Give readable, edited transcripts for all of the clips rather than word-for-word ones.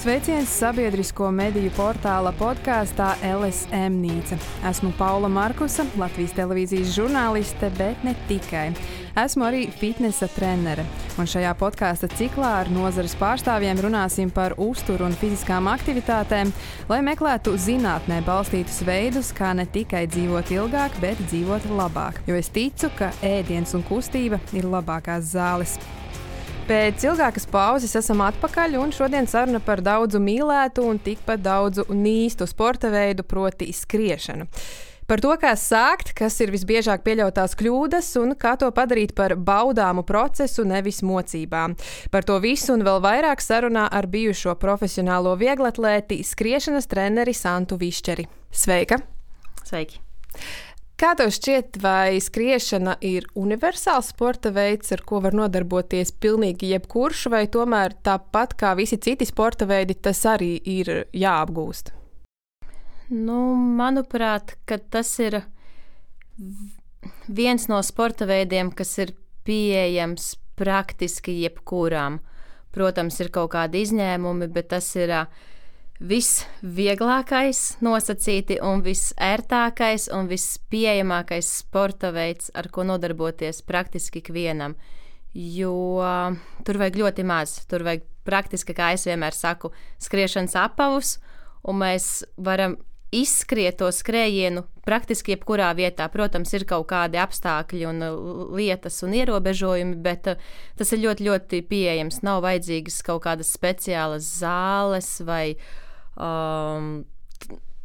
Sveiciens sabiedrisko mediju portāla podkāstā LSM Nīca. Esmu Paula Markusa, Latvijas televīzijas žurnāliste, bet ne tikai. Esmu arī fitnesa trenere, un šajā podkāsta ciklā ar nozares pārstāvjiem runāsim par uzturu un fiziskām aktivitātēm, lai meklētu zinātnē balstītus veidus, kā ne tikai dzīvot ilgāk, bet dzīvot labāk. Jo es ticu, ka ēdiens un kustība ir labākās zāles. Pēc ilgākas pauzes esam atpakaļ, un šodien saruna par daudzu mīlētu un tikpat daudzu nīstu sporta veidu, proti skriešanu. Par to, kā sākt, kas ir visbiežāk pieļautās kļūdas un kā to padarīt par baudāmu procesu, nevis mocībām. Par to visu un vēl vairāk sarunā ar bijušo profesionālo vieglatlēti, skriešanas treneri Santu Višķeri. Sveika! Sveiki! Kā tev šķiet, vai skriešana ir universāls sporta veids, ar ko var nodarboties pilnīgi jebkurš, vai tomēr tāpat kā visi citi sporta veidi, tas arī ir jāapgūst? Manuprāt, ka tas ir viens no sporta veidiem, kas ir pieejams praktiski jebkurām. Protams, ir kaut kādi izņēmumi, bet tas ir visvieglākais nosacīti un visērtākais un vispieejamākais sporta veids, ar ko nodarboties praktiski ikvienam. Jo tur vajag ļoti maz. Tur vajag praktiski, kā es vienmēr saku, skriešanas apavus, un mēs varam izskriet to skrējienu praktiski jebkurā vietā. Protams, ir kaut kādi apstākļi un lietas un ierobežojumi, bet tas ir ļoti, ļoti pieejams. Nav vajadzīgas kaut kādas speciālas zāles vai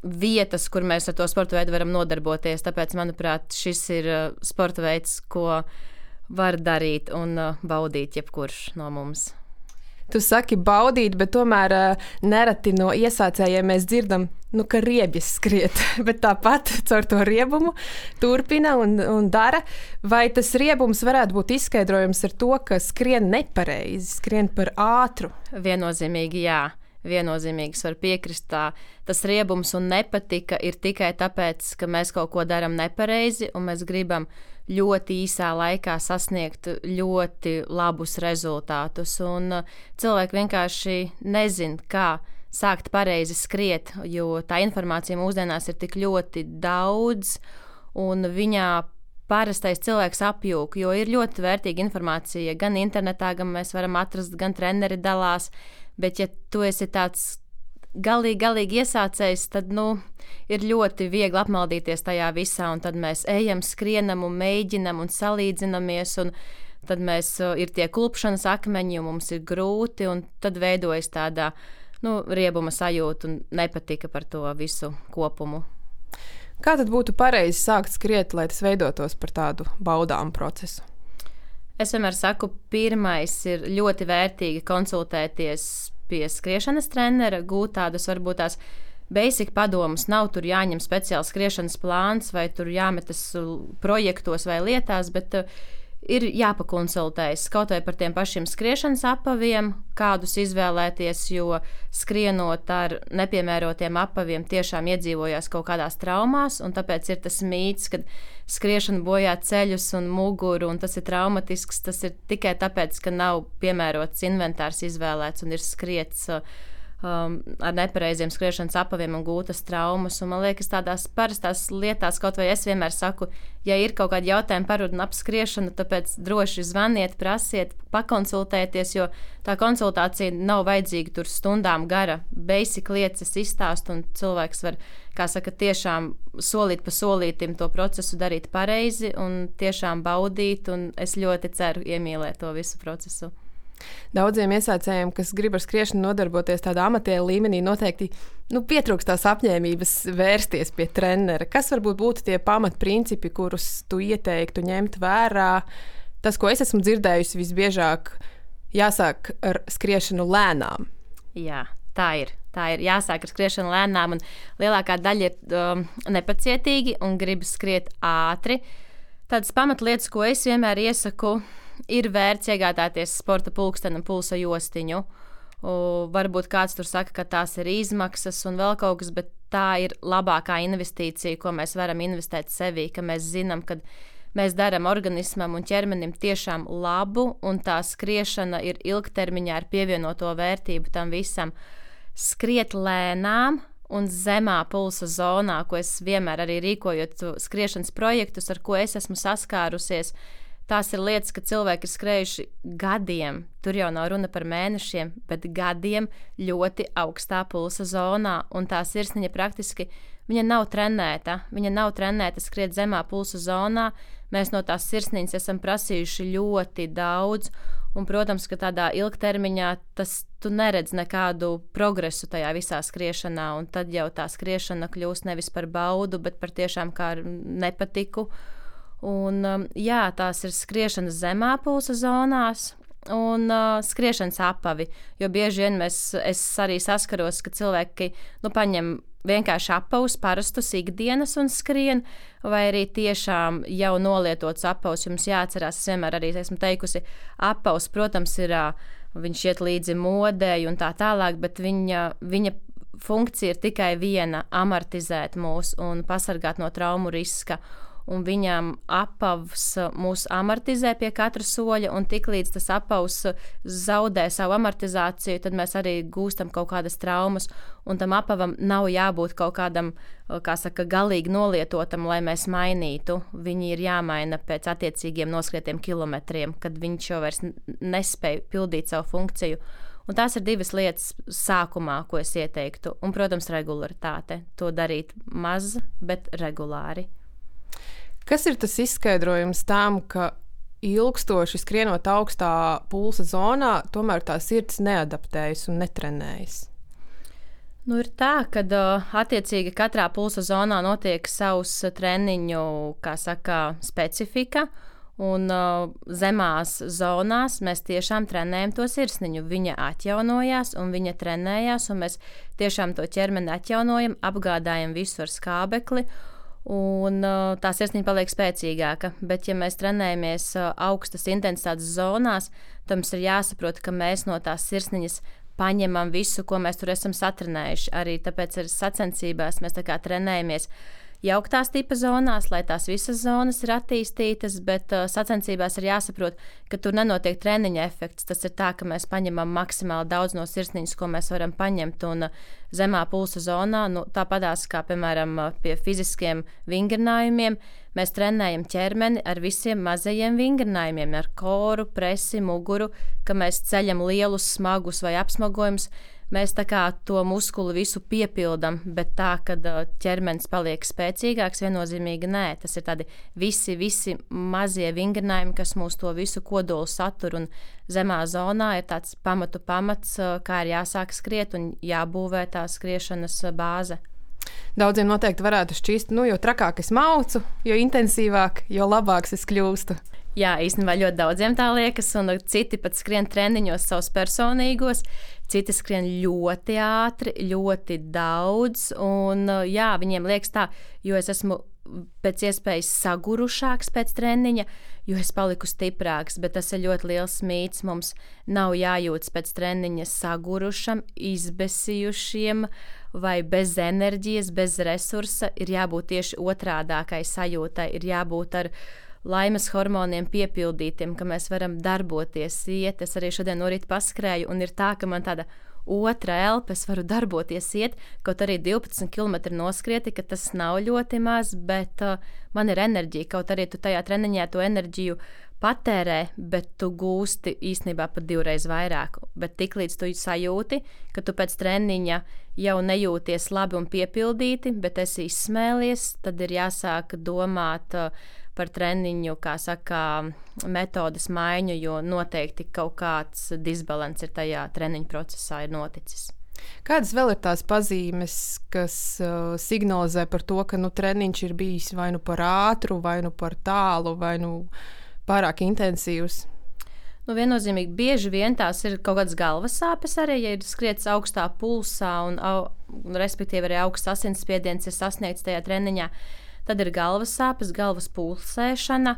vietas, kur mēs ar to sporta veidu varam nodarboties. Tāpēc, manuprāt, šis ir sporta veids, ko var darīt un baudīt jebkurš no mums. Tu saki baudīt, bet tomēr nereti no iesācējiem mēs dzirdam, ka riebjas skriet, bet tāpat caur to riebumu turpina un dara. Vai tas riebums varētu būt izskaidrojums ar to, ka skrien nepareizi, skrien par ātru? Viennozīmīgi jā. Viennozīmīgi var piekrist. Tas riebums un nepatika ir tikai tāpēc, ka mēs kaut ko darām nepareizi un mēs gribam ļoti īsā laikā sasniegt ļoti labus rezultātus. Un cilvēki vienkārši nezin, kā sākt pareizi skriet, jo tā informācija mūsdienās ir tik ļoti daudz un viņā parastais cilvēks apjūk, jo ir ļoti vērtīga informācija gan internetā, gan mēs varam atrast, gan treneri dalās. Bet, ja tu esi tāds galīgi iesācējs, tad ir ļoti viegli apmaldīties tajā visā, un tad mēs ejam, skrienam un mēģinam un salīdzinamies, un tad ir tie klupšanas akmeņi, un mums ir grūti, un tad veidojas tāda riebuma sajūta un nepatika par to visu kopumu. Kā tad būtu pareizi sākt skriet, lai tas veidotos par tādu baudāmu procesu? Es vienmēr saku, pirmais ir ļoti vērtīgi konsultēties pie skriešanas trenera, gūt tādas varbūt tās basic padomus. Nav tur jāņem speciāls skriešanas plāns vai tur jāmetas projektos vai lietās, bet ir jāpakonsultējas kaut vai par tiem pašiem skriešanas apaviem, kādus izvēlēties, jo skrienot ar nepiemērotiem apaviem tiešām iedzīvojās kaut kādās traumās, un tāpēc ir tas mīts, ka skriešana bojā ceļus un muguru, un tas ir traumatisks. Tas ir tikai tāpēc, ka nav piemērots inventārs izvēlēts un ir skriets ar nepareiziem skriešanas apaviem un gūtas traumas. Un man liekas, tādās parastās lietās, kaut vai es vienmēr saku, ja ir kaut kādi jautājumi par un ap skriešanu, tāpēc droši zvaniet, prasiet, pakonsultēties, jo tā konsultācija nav vajadzīga tur stundām gara. Basic lietas izstāst, un cilvēks var, kā saka, tiešām solīt pa solītim to procesu darīt pareizi un tiešām baudīt, un es ļoti ceru iemīlēt to visu procesu. Daudziem iesācējiem, kas grib ar skriešanu nodarboties tādā amatieru līmenī, noteikti pietrūkst tās apņēmības vērsties pie trenera. Kas varbūt būtu tie pamatprincipi, kurus tu ieteiktu ņemt vērā? Tas, ko es esmu dzirdējusi, visbiežāk jāsāk ar skriešanu lēnām. Jā, tā ir. Tā ir jāsāk ar skriešanu lēnām, un lielākā daļa ir nepacietīgi un grib skriet ātri. Tādas pamatlietas, ko es vienmēr iesaku, ir vērts iegādāties sporta pulksteni un pulsa jostiņu. Varbūt kāds tur saka, ka tās ir izmaksas un vēl kaut kas, bet tā ir labākā investīcija, ko mēs varam investēt sevī, ka mēs zinām, ka mēs darām organismam un ķermenim tiešām labu, un tā skriešana ir ilgtermiņā ar pievienoto vērtību tam visam. skriet lēnām un zemā pulsa zonā, ko es vienmēr arī rīkojot skriešanas projektus, ar ko es esmu saskārusies. Tās ir lietas, ka cilvēki ir skrējuši gadiem, tur jau nav runa par mēnešiem, bet gadiem ļoti augstā pulsa zonā, un tā sirsniņa praktiski, viņa nav trenēta skriet zemā pulsa zonā. Mēs no tās sirsniņas esam prasījuši ļoti daudz, un, protams, ka tādā ilgtermiņā tu neredz nekādu progresu tajā visā skriešanā, un tad jau tā skriešana kļūst nevis par baudu, bet par tiešām kā nepatiku. Un, tās ir skriešanas zemā pulsa zonās un skriešanas apavi, jo bieži vien es arī saskaros, ka cilvēki paņem vienkārši apavus, parastus ikdienas un skrien, vai arī tiešām jau nolietots apavus. Jums jāatcerās, es vienmēr arī esmu teikusi, apavus, protams, viņš iet līdzi modei un tā tālāk, bet viņa funkcija ir tikai viena – amortizēt mūs un pasargāt no traumu riska. Un viņam apavs mūs amortizē pie katra soļa, un tiklīdz tas apavs zaudē savu amortizāciju, tad mēs arī gūstam kaut kādas traumas, un tam apavam nav jābūt kaut kādam, galīgi nolietotam, lai mēs mainītu. Viņi ir jāmaina pēc attiecīgiem noskrietiem kilometriem, kad viņš jau vairs nespēj pildīt savu funkciju. Un tās ir divas lietas sākumā, ko es ieteiktu, un, protams, regularitāte. To darīt maz, bet regulāri. Kas ir tas izskaidrojums tam, ka ilgstoši skrienot augstā pulsa zonā, tomēr tā sirds neadaptējas un netrenējas? Ir tā, ka attiecīgi katrā pulsa zonā notiek savs treniņu, specifika, un zemās zonās mēs tiešām trenējam to sirsniņu. Viņa atjaunojās un viņa trenējās, un mēs tiešām to ķermeni atjaunojam, apgādājam visu ar skābekli, un tā sirsniņa paliek spēcīgāka. Bet, ja mēs trenējamies augstas intensitātes zonās, tad mums ir jāsaprot, ka mēs no tās sirsniņas paņemam visu, ko mēs tur esam satrenējuši. Arī tāpēc ar sacensībās mēs trenējamies jauktās tipa zonās, lai tās visas zonas ir attīstītas, bet sacensībās ir jāsaprot, ka tur nenotiek treniņa efekts. Tas ir tā, ka mēs paņemam maksimāli daudz no sirsniņas, ko mēs varam paņemt, un zemā pulsa zonā, tāpatās kā, piemēram, pie fiziskiem vingrinājumiem, mēs trenējam ķermeni ar visiem mazajiem vingrinājumiem, ar koru, presi, muguru, ka mēs ceļam lielus, smagus vai apsmagojumus. Mēs tā kā to muskuli visu piepildam, bet tā, kad ķermenis paliek spēcīgāks, viennozīmīgi nē. Tas ir tādi visi mazie vingrinājumi, kas mūs to visu kodolu satur, un zemā zonā ir tāds pamats, kā ir jāsāk skriet un jābūvē tā skriešanas bāze. Daudziem noteikti varētu šķist, jo trakāk es maucu, jo intensīvāk, jo labāks es kļūstu. Jā, īstenībā ļoti daudziem tā liekas, un citi pat skrien treniņos savus personīgos, citi skrien ļoti ātri, ļoti daudz, un viņiem liekas tā, jo es esmu pēc iespējas sagurušāks pēc treniņa, jo es paliku stiprāks, bet tas ir ļoti liels mīts. Mums nav jājūtas pēc treniņa sagurušam, izbesījušiem vai bez enerģijas, bez resursa. Ir jābūt tieši otrādākai sajūtai, ir jābūt ar laimes hormoniem piepildītiem, ka mēs varam darboties, iet. Es arī šodien no rīta paskrēju, un ir tā, ka man tāda otra elpa, es varu darboties, iet, kaut arī 12 km noskrieti, ka tas nav ļoti maz, bet man ir enerģija, kaut arī tu tajā treniņā to enerģiju patērē, bet tu gūsti īstenībā pat 2 reizes vairāk. Bet tiklīdz tu sajūti, ka tu pēc treniņa jau nejūties labi un piepildīti, bet esi izsmēlies, tad ir jāsāk domāt par treniņu, metodes maiņu, jo noteikti kaut kāds disbalans ir tajā treniņu procesā ir noticis. Kādas vēl ir tās pazīmes, kas signalizē par to, ka treniņš ir bijis vai par ātru, vai par tālu, vai pārāk intensīvs? Viennozīmīgi bieži vien tās ir kaut kādas galvas sāpes arī, ja ir skrietis augstā pulsā un respektīvi arī augsts asinsspiediens ir sasniegts tajā treniņā. Tad ir galvas sāpes, galvas pulsēšana,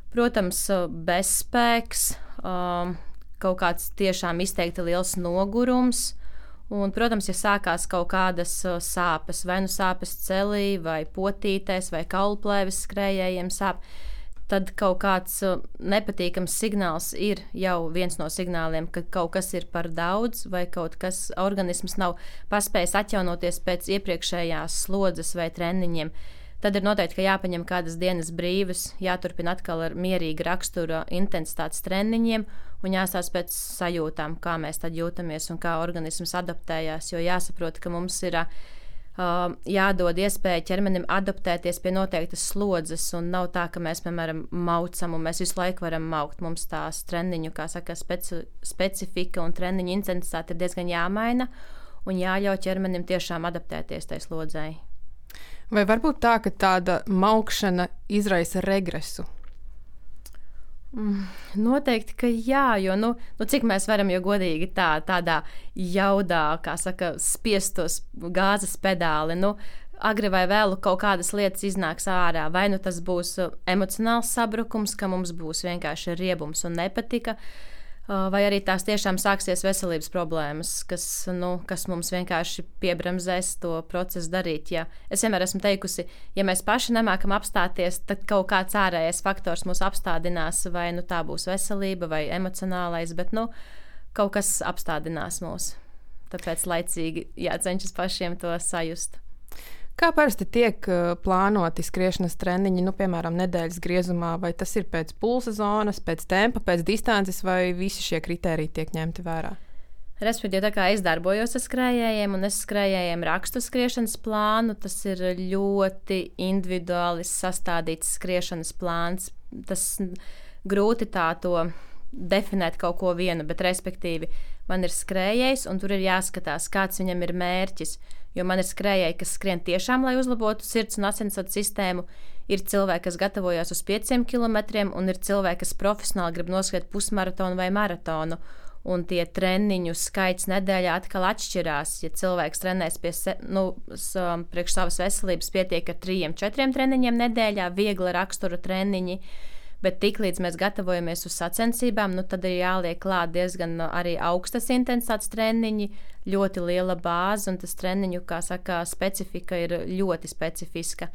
protams, bezspēks, kaut kāds tiešām izteikti liels nogurums. Un, protams, ja sākās kaut kādas sāpes, vai sāpes celī, vai potītēs, vai kaulplēves skrējējiem sāp, tad kaut kāds nepatīkams signāls ir jau viens no signāliem, ka kaut kas ir par daudz vai kaut kas organisms nav paspējis atjaunoties pēc iepriekšējās slodzes vai treniņiem. Tad ir noteikti, ka jāpaņem kādas dienas brīvas, jāturpina atkal ar mierīga rakstura intensitātes treniņiem un jāstāsta pēc sajūtām, kā mēs tad jūtamies un kā organisms adaptējās, jo jāsaprot, ka mums ir jādod iespēja ķermenim adaptēties pie noteiktas slodzes, un nav tā, ka mēs, piemēram, maucam, un mēs visu laiku varam maukt. Mums tās treniņu, kā saka, specifika un treniņu intensitāte ir diezgan jāmaina, un jāļauj ķermenim tiešām adaptēties tai slodzei. Vai varbūt tā, ka tāda maukšana izraisa regresu? Noteikti, ka jā, jo cik mēs varam, jo godīgi tādā jaudā, kā saka, spiest tos gāzes pedāli, agri vai vēlu kaut kādas lietas iznāks ārā, vai tas būs emocionāls sabrukums, ka mums būs vienkārši riebums un nepatika, vai arī tās tiešām sāksies veselības problēmas, kas mums vienkārši piebremzēs to procesu darīt. Ja es vienmēr esmu teikusi, ja mēs paši nemākam apstāties, tad kaut kāds ārējais faktors mūs apstādinās, vai tā būs veselība vai emocionālais, bet kaut kas apstādinās mūs. Tāpēc laicīgi jācenšas pašiem to sajust. Kā parasti tiek plānoti skriešanas treniņi, piemēram, nedēļas griezumā, vai tas ir pēc pulsa zonas, pēc tempa, pēc distances, vai visi šie kritēriji tiek ņemti vērā? Respektīvi, tā kā es darbojos ar skrējējiem, un es skrējējiem rakstu skriešanas plānu, tas ir ļoti individuāli sastādīts skriešanas plāns. Tas grūti tā to definēt kaut ko vienu, bet respektīvi man ir skrējējs, un tur ir jāskatās, kāds viņam ir mērķis. Jo man ir skrējēji, kas skrien tiešām, lai uzlabotu sirds un asinsvadu sistēmu. Ir cilvēki, kas gatavojas uz 5 kilometriem, un ir cilvēki, kas profesionāli grib noskriet pusmaratonu vai maratonu. Un tie treniņu skaits nedēļā atkal atšķirās. Ja cilvēks trenēs priekš savas veselības, pietiek ar 3-4 treniņiem nedēļā, viegla rakstura treniņi. Bet tiklīdz mēs gatavojamies uz sacensībām, tad ir jāliek klāt diezgan arī augstas intensitātes treniņi, ļoti liela bāze, un tas treniņu, kā saka, specifika ir ļoti specifiska.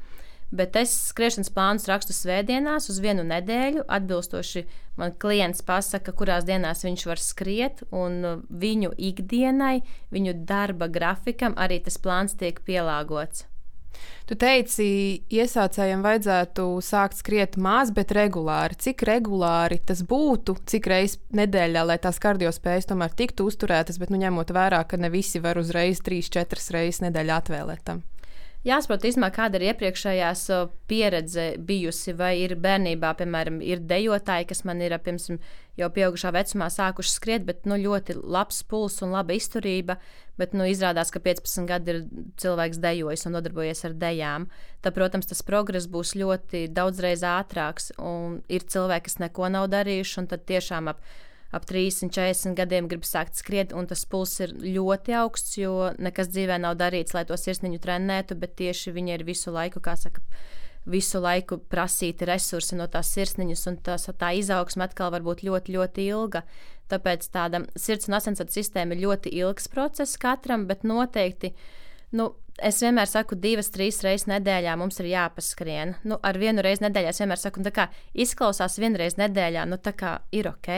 Bet es skriešanas plānus rakstu svētdienās uz 1 nedēļu, atbilstoši man klients pasaka, kurās dienās viņš var skriet, un viņu ikdienai, viņu darba grafikam arī tas plāns tiek pielāgots. Tu teici, iesācējiem vajadzētu sākt skriet maz, bet regulāri. Cik regulāri tas būtu, cik reizes nedēļā, lai tās kardiospējas tomēr tiktu uzturētas, bet ņemot vērā, ka ne visi var uzreiz 3-4 reizes nedēļā atvēlēt tam? Jāsaprot, kāda ir iepriekšējās pieredze bijusi, vai ir bērnībā, piemēram, ir dejotāji, kas man ir pirms jau pieaugušā vecumā sākuši skriet, bet ļoti labs puls un laba izturība, bet izrādās, ka 15 gadi ir cilvēks dejojis un nodarbojies ar dejām. Tad, protams, tas progress būs ļoti daudzreiz ātrāks, un ir cilvēki, kas neko nav darījuši, un tad tiešām ap 30-40 gadiem grib sākt skriet, un tas puls ir ļoti augsts, jo nekas dzīvē nav darīts, lai to sirsniņu trenētu, bet tieši viņi ir visu laiku, kā saka, visu laiku prasīti resursi no tās sirsniņas, un tā izaugsme atkal var būt ļoti, ļoti ilga. Tāpēc tāda sirds un asinsvadu sistēma ir ļoti ilgs process katram, bet noteikti, es vienmēr saku 2-3 reizes nedēļā mums ir jāpaskrien. Ar 1 reizi nedēļā es vienmēr saku, tā kā izklausās 1 reizi nedēļā, tā kā ir ok.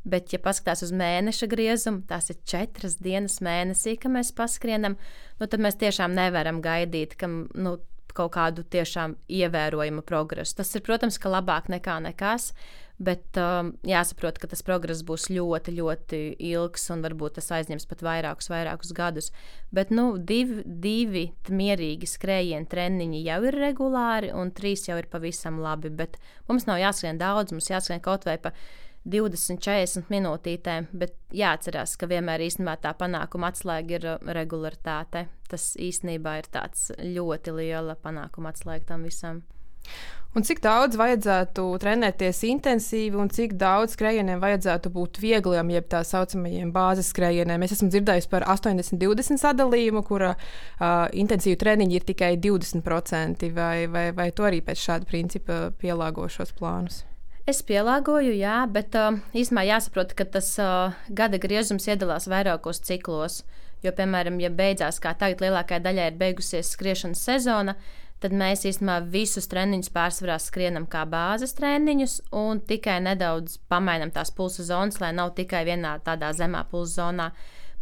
Bet, ja paskatās uz mēneša griezumu, tās ir 4 dienas mēnesī, ka mēs paskrienam, tad mēs tiešām nevaram gaidīt, ka kaut kādu tiešām ievērojumu progresu. Tas ir, protams, ka labāk nekā nekas, bet jāsaprot, ka tas progress būs ļoti, ļoti ilgs un varbūt tas aizņems pat vairākus gadus. Bet 2 mierīgi skrējienu treniņi jau ir regulāri un 3 jau ir pavisam labi, bet mums nav jāskrien daudz, mums jāskrien kaut vai pa 20-40 minūtītēm, bet jāatcerās, ka vienmēr īstenībā tā panākuma atslēga ir regularitāte. Tas īstenībā ir tāds ļoti liela panākuma atslēga tam visam. Un cik daudz vajadzētu trenēties intensīvi un cik daudz skrējieniem vajadzētu būt viegliem, jeb tā saucamajiem bāzes skrējieniem? Es esmu dzirdējusi par 80-20 sadalījumu, kura intensīvu treniņi ir tikai 20%, vai tu arī pēc šāda principa pielāgo šos plānus? Es pielāgoju, jā, bet īstenībā jāsaprot, ka tas gada griezums iedalās vairākos ciklos. Jo, piemēram, ja beidzās, kā tagad lielākajai daļai ir beigusies skriešanas sezona, tad mēs īstenībā visus treniņus pārsvarā skrienam kā bāzes treniņus un tikai nedaudz pamainam tās pulsa zonas, lai nav tikai vienā tādā zemā pulsa zonā.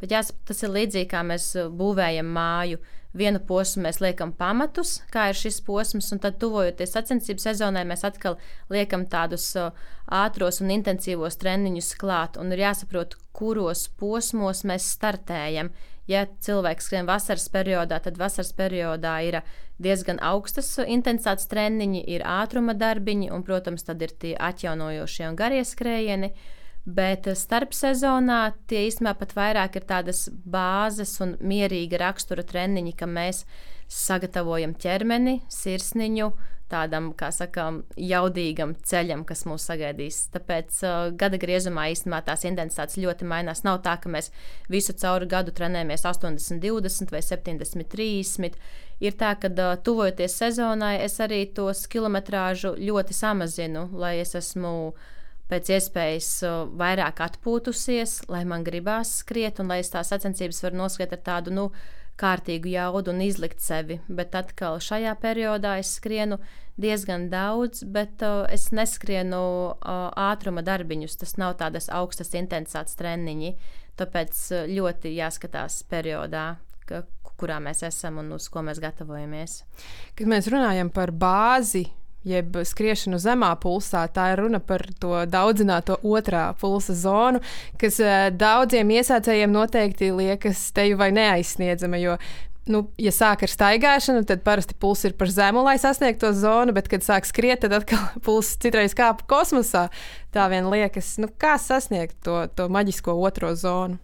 Bet tas ir līdzīgi, kā mēs būvējam māju. Vienu posmu mēs liekam pamatus, kā ir šis posms, un tad tuvojoties sacensību sezonai, mēs atkal liekam tādus ātros un intensīvos treniņus klāt, un ir jāsaprot, kuros posmos mēs startējam. Ja cilvēks skrien vasaras periodā, tad vasaras periodā ir diezgan augstas intensitātes treniņi, ir ātruma darbiņi, un, protams, tad ir tie atjaunojošie un garie skrējieni. Bet starp sezonā tie īstenībā pat vairāk ir tādas bāzes un mierīga rakstura treniņi, ka mēs sagatavojam ķermeni, sirsniņu tādam, kā sakām, jaudīgam ceļam, kas mūs sagaidīs. Tāpēc gada griezumā īstenībā tās intensitātes ļoti mainās. Nav tā, ka mēs visu cauri gadu trenējamies 80-20 vai 70-30. Ir tā, ka tuvojoties sezonai, es arī tos kilometrāžu ļoti samazinu, lai es esmu pēc iespējas vairāk atpūtusies, lai man gribās skriet un lai es tās sacensības varu noskriet ar tādu, kārtīgu jaudu un izlikt sevi. Bet atkal šajā periodā es skrienu diezgan daudz, bet es neskrienu ātruma darbiņus. Tas nav tādas augstas intensitātes treniņi, tāpēc ļoti jāskatās periodā, kurā mēs esam un uz ko mēs gatavojamies. Kad mēs runājam par bāzi, jeb skriešanu zemā pulsā, tā ir runa par to daudzināto otrā pulsa zonu, kas daudziem iesācējiem noteikti liekas teju vai neaizsniedzama, jo, ja sāk ar staigāšanu, tad parasti pulss ir par zemu, lai sasniegtu to zonu, bet, kad sāk skriet, tad atkal pulss citreiz kāp kosmosā. Tā vien liekas, kā sasniegt to maģisko otro zonu?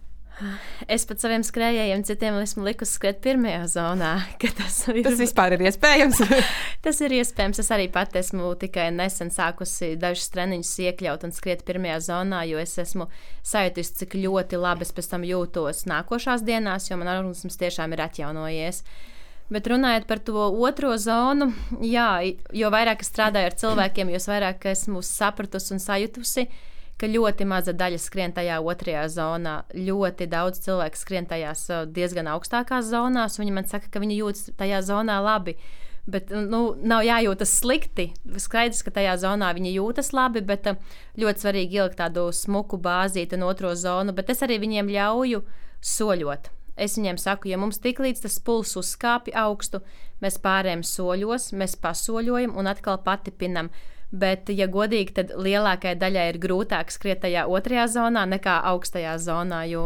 Es pat saviem skrējējiem citiem esmu likusi skriet pirmajā zonā. Tas vispār ir iespējams? Tas ir iespējams. Es arī pat esmu tikai nesen sākusi dažus treniņus iekļaut un skriet pirmajā zonā, jo es esmu sajutusi, cik ļoti labi es pēc tam jūtos nākošās dienās, jo man organisms tiešām ir atjaunojies. Bet runājot par to otro zonu, jā, jo vairāk es strādāju ar cilvēkiem, jo vairāk esmu sapratusi un sajutusi, ka ļoti maza daļa skrien tajā otrajā zonā. Ļoti daudz cilvēku skrien tajās diezgan augstākās zonās. Viņi man saka, ka viņi jūtas tajā zonā labi. Bet nav jājūtas slikti. Skaidrs, ka tajā zonā viņi jūtas labi, bet ļoti svarīgi ielikt tādu smuku bāzīti un otro zonu. Bet es arī viņiem ļauju soļot. Es viņiem saku, ja mums tiklīdz tas pulss uzkāpj augstu, mēs pārējām soļos, mēs pasoļojam un atkal patipinam. Bet, ja godīgi, tad lielākajai daļai ir grūtāk skriet tajā otrajā zonā nekā augstajā zonā, jo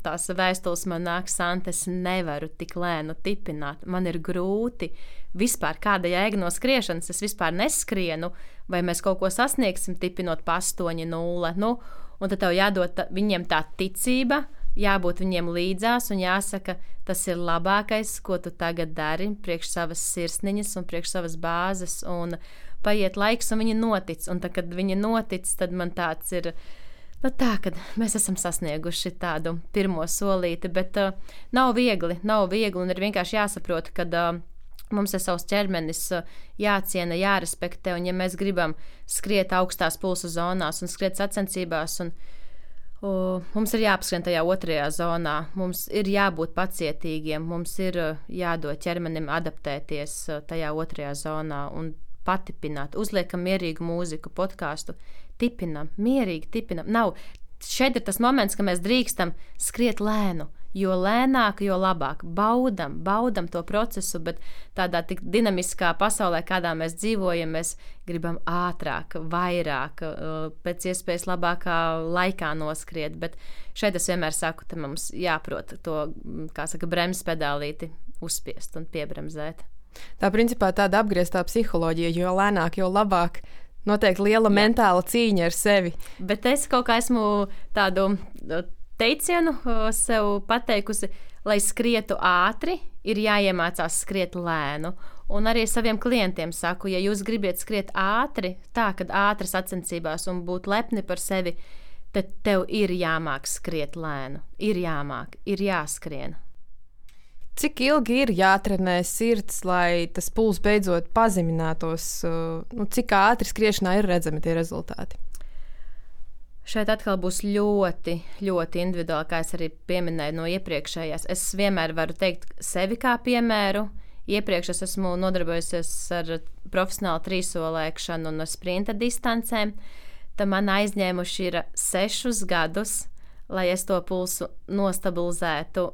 tās vēstules man nāk, Santa, es nevaru tik lēnu tipināt, man ir grūti. Vispār kāda jēga no skriešanas, es vispār neskrienu, vai mēs kaut ko sasniegsim tipinot pa 8-0, un tad tev jādod viņiem tā ticība, jābūt viņiem līdzās un jāsaka, tas ir labākais, ko tu tagad dari priekš savas sirsniņas un priekš savas bāzes, un paiet laiks, un viņi notic, un tad, kad viņi notic, tad man tāds ir, kad mēs esam sasnieguši tādu pirmo solīti, bet nav viegli, un ir vienkārši jāsaprot, ka mums ir savs ķermenis jāciena, jārespektē, un ja mēs gribam skriet augstās pulsa zonās un skriet sacensībās, un mums ir jāapskrien tajā otrajā zonā, mums ir jābūt pacietīgiem, mums ir jādod ķermenim adaptēties tajā otrajā zonā un patipināt, uzliekam mierīgu mūziku, podkāstu, tipinam, mierīgi tipinam. Šeit ir tas moments, ka mēs drīkstam skriet lēnu, jo lēnāk, jo labāk. Baudam to procesu, bet tādā tik dinamiskā pasaulē, kādā mēs dzīvojam, mēs gribam ātrāk, vairāk, pēc iespējas labākā laikā noskriet, bet šeit es vienmēr saku, ka mums jāprot to, bremzes pedālīti uzspiest un piebremzēt. Tā principā tāda apgrieztā psiholoģija, jo lēnāk, jo labāk. Noteikti liela mentāla cīņa ar sevi. Bet es kaut kā esmu tādu teicienu sev pateikusi, lai skrietu ātri, ir jāiemācās skriet lēnu. Un arī saviem klientiem saku, ja jūs gribat skriet ātri, kad ātri sacensībās un būt lepni par sevi, tad tev ir jāmāk skriet lēnu. Ir jāmāk, ir jāskrien. Cik ilgi ir jātrenē sirds, lai tas pulss beidzot pazeminātos? Cik ātri skriešanā ir redzami tie rezultāti? Šeit atkal būs ļoti, ļoti individuāli, kā es arī pieminēju no iepriekšējās. Es vienmēr varu teikt sevi kā piemēru. iepriekš es esmu nodarbojusies ar profesionālu trīsolēkšanu un sprinta distancēm, tad man aizņēmuši ir 6 gadus, lai es to pulsu nostabilizētu.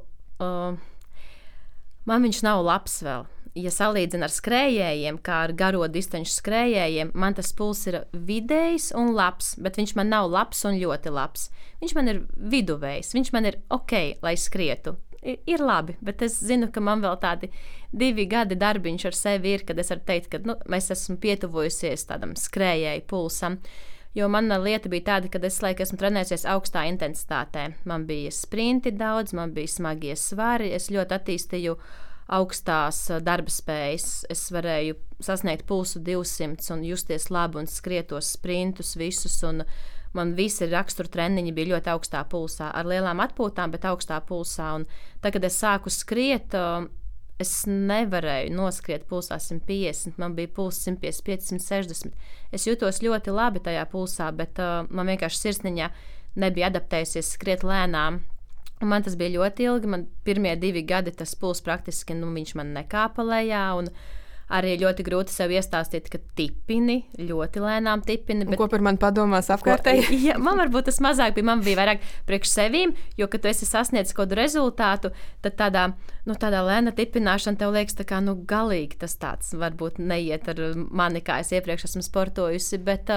Man viņš nav labs vēl. Ja salīdzina ar skrējējiem, kā ar garo distanču skrējējiem, man tas puls ir vidējs un labs, bet viņš man nav labs un ļoti labs. Viņš man ir viduvējs, viņš man ir ok, lai skrietu. Ir labi, bet es zinu, ka man vēl tādi 2 gadi darbiņš ar sevi ir, kad es varu teikt, ka es esmu pietuvojusies tādam skrējēju pulsam. Jo mana lieta bija tāda, ka es laikam esmu trenējusies augstā intensitātē. Man bija sprinti daudz, man bija smagie svari, es ļoti attīstīju augstās darba spējas. Es varēju sasniegt pulsu 200 un justies labi un skrietos sprintus visus. Un man visi rakstura treniņi bija ļoti augstā pulsā, ar lielām atpūtām, bet augstā pulsā. Un tad, kad es sāku skriet, es nevarēju noskriet pulsā 150, man bija pulss 155, 160. Es jutos ļoti labi tajā pulsā, bet man vienkārši sirsniņā nebija adaptējusies skriet lēnām. Un man tas bija ļoti ilgi, man pirmie 2 gadi tas pulss praktiski, viņš man nekāpa lejā, un arī ļoti grūti sev iestāstīt, ka tipini, ļoti lēnām tipini. Bet... Ko par mani padomās apkārtēji? Ja, man varbūt tas mazāk bija, man bija vairāk priekš sevīm, jo, kad tu esi sasniedzis kādu rezultātu, tad tādā lēna tipināšana tev liekas tā kā, galīgi tas tāds varbūt neiet ar mani, kā es iepriekš esmu sportojusi, bet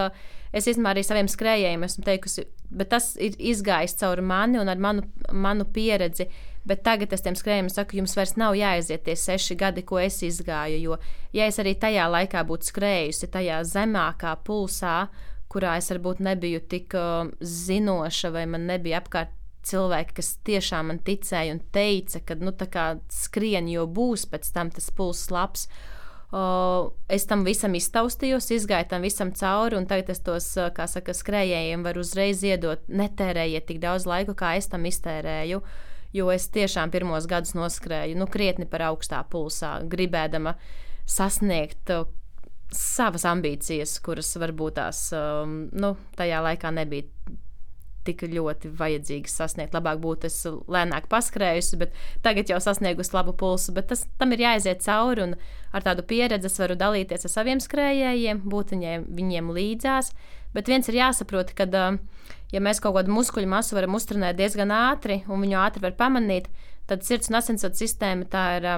es īstenībā arī saviem skrējējiem esmu teikusi, bet tas ir izgājis caur mani un ar manu pieredzi. Bet tagad es tiem skrējējiem saku, jums vairs nav jāaiziet tie 6 gadi, ko es izgāju, jo, ja es arī tajā laikā būtu skrējusi tajā zemākā pulsā, kurā es varbūt nebiju tik zinoša, vai man nebija apkārt cilvēki, kas tiešām man ticēja un teica, ka, tā kā skrien, jo būs pēc tam tas pulss labs. Es tam visam iztaustījos, izgāju tam visam cauri, un tagad es tos, kā saka, skrējējiem varu uzreiz iedot, netērējiet tik daudz laiku, kā es tam iztērēju. Jo es tiešām pirmos gadus noskrēju krietni par augstā pulsā, gribēdama sasniegt savas ambīcijas, kuras varbūt tās tajā laikā nebija tik ļoti vajadzīgas sasniegt. Labāk būtu es lēnāk paskrējusi, bet tagad jau sasniegusi labu pulsu, bet tam ir jāaiziet cauri, un ar tādu pieredzi es varu dalīties ar saviem skrējējiem, būt viņiem līdzās, bet viens ir jāsaprot, ka ja mēs kaut kādu muskuļu masu varam uztrenēt diezgan ātri, un viņu ātri var pamanīt, tad sirds un asinsvadu sistēma tā ir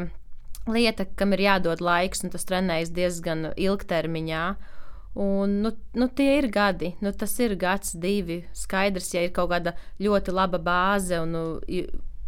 lieta, kam ir jādod laiks, un tas trenējas diezgan ilgtermiņā. Un, tie ir gadi, tas ir gads, 2. Skaidrs, ja ir kaut kāda ļoti laba bāze un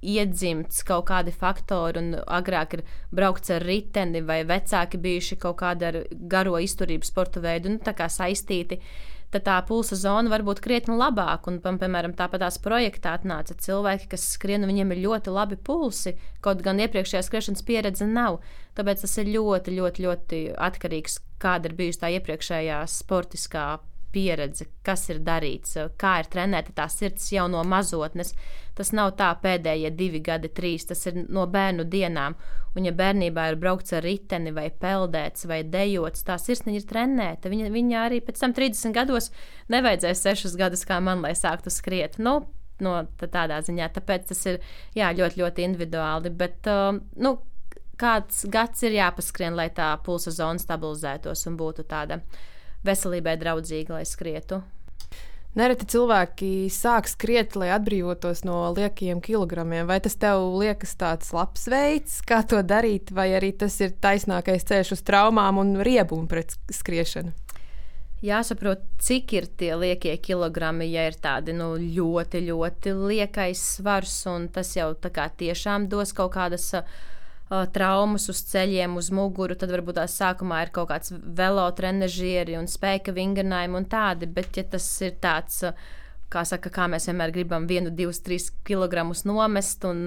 iedzimts kaut kādi faktori, un agrāk ir braukts ar riteni, vai vecāki bijuši kaut kāda ar garo izturību sporta veidu, tā kā saistīti. Tad tā pulsa zona var būt krietni labāka, un, piemēram, tāpatās projektā atnāca cilvēki, kas skrien, un viņiem ir ļoti labi pulsi, kaut gan iepriekšējā skriešanas pieredze nav. Tāpēc tas ir ļoti, ļoti, ļoti atkarīgs, kāda ir bijusi tā iepriekšējā sportiskā pieredze, kas ir darīts, kā ir trenēta tā sirds jau no mazotnes. Tas nav tā pēdējie 2 gadi, 3, tas ir no bērnu dienām. Un ja bērnībā ir braukts ar riteni vai peldēts vai dejots, tā sirdsniņa ir trenēta. Viņa arī pēc tam 30 gados nevajadzēs 6 gadus kā man, lai sāktu skriet. Tādā ziņā. Tāpēc tas ir ļoti, ļoti individuāli. Bet, kāds gads ir jāpaskrien, lai tā pulsa zona stabilizētos un būtu tāda veselībai draudzīga, lai skrietu. Nereti cilvēki sāk skriet, lai atbrīvotos no liekiem kilogramiem. Vai tas tev liekas tāds labs veids, kā to darīt, vai arī tas ir taisnākais ceļš uz traumām un riebumu pret skriešanu? Jāsaprot, cik ir tie liekie kilogrami, ja ir tādi ļoti, ļoti liekais svars, un tas jau tā kā tiešām dos kaut kādas traumas uz ceļiem, uz muguru, tad varbūt tās sākumā ir kaut kāds velotrenažieri un spēka vingrinājumi un tādi, bet ja tas ir tāds, kā mēs vienmēr gribam 1, 2, 3 kilogramus nomest, un